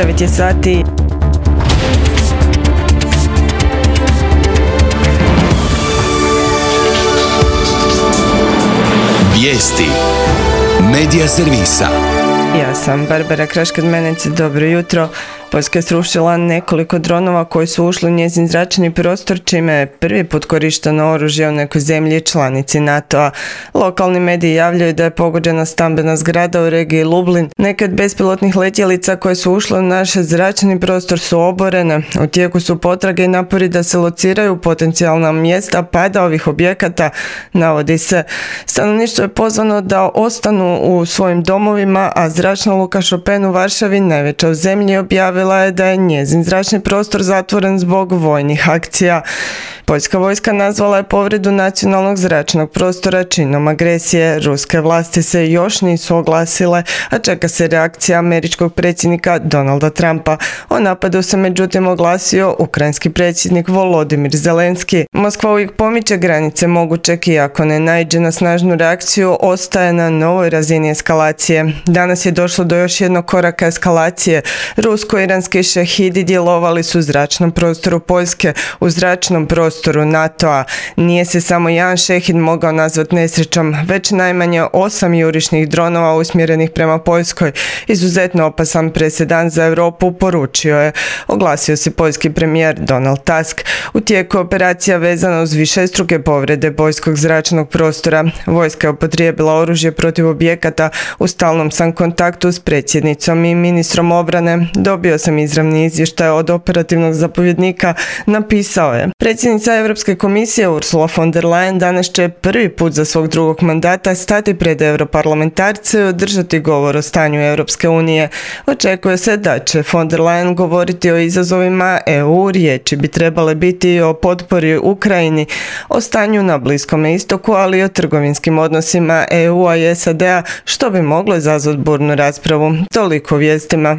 9 je sati. Vijesti Medija servisa. Ja sam Barbara Kraškad-Menec, dobro jutro. Poljska je srušila nekoliko dronova koji su ušli u njezin zračni prostor, čime je prvi put korišteno oružje u nekoj zemlji članici NATO-a. Lokalni mediji javljaju da je pogođena stambena zgrada u regiji Lublin. Neke od bespilotnih letjelica koje su ušle u naš zračni prostor su oborene. U tijeku su potrage i napori da se lociraju potencijalna mjesta pada ovih objekata, navodi se. Stanovništvo je pozvano da ostanu u svojim domovima, a zračna luka Chopin u Varšavi, najveća u zemlji, objavila je da je njezin zračni prostor zatvoren zbog vojnih akcija. Poljska vojska nazvala je povredu nacionalnog zračnog prostora činom agresije. Ruske vlasti se još nisu oglasile, a čeka se reakcija američkog predsjednika Donalda Trumpa. O napadu se međutim oglasio ukrajinski predsjednik Volodimir Zelenski. Moskva uvijek pomiče granice mogućeg i ako ne naiđe na snažnu reakciju, ostaje na novoj razini eskalacije. Danas je došlo do još jednog koraka eskalacije. Rusko-iranski šehidi djelovali su u zračnom prostoru Poljske, u zračnom prostoru NATO-a. Nije se samo jedan šehid mogao nazvati nesrećom, već najmanje 8 jurišnih dronova usmjerenih prema Poljskoj. Izuzetno opasan presedan za Europu, poručio je. Oglasio se poljski premijer Donald Tusk. U tijeku operacija vezana uz višestruke povrede poljskog zračnog prostora. Vojska je upotrijebila oružje protiv objekata. U stalnom sam kontaktu s predsjednicom i ministrom obrane. Dobio sam izravni izvještaj od operativnog zapovjednika, napisao je. Predsjednica Europske komisije Ursula von der Leyen danas će prvi put za svog drugog mandata stati pred europarlamentarce i održati govor o stanju Europske unije. Očekuje se da će von der Leyen govoriti o izazovima EU, riječi bi trebale biti o potpori Ukrajini, o stanju na Bliskom istoku, ali i o trgovinskim odnosima EU-a i SAD-a, što bi moglo izazvati burnu raspravu. Toliko vijestima.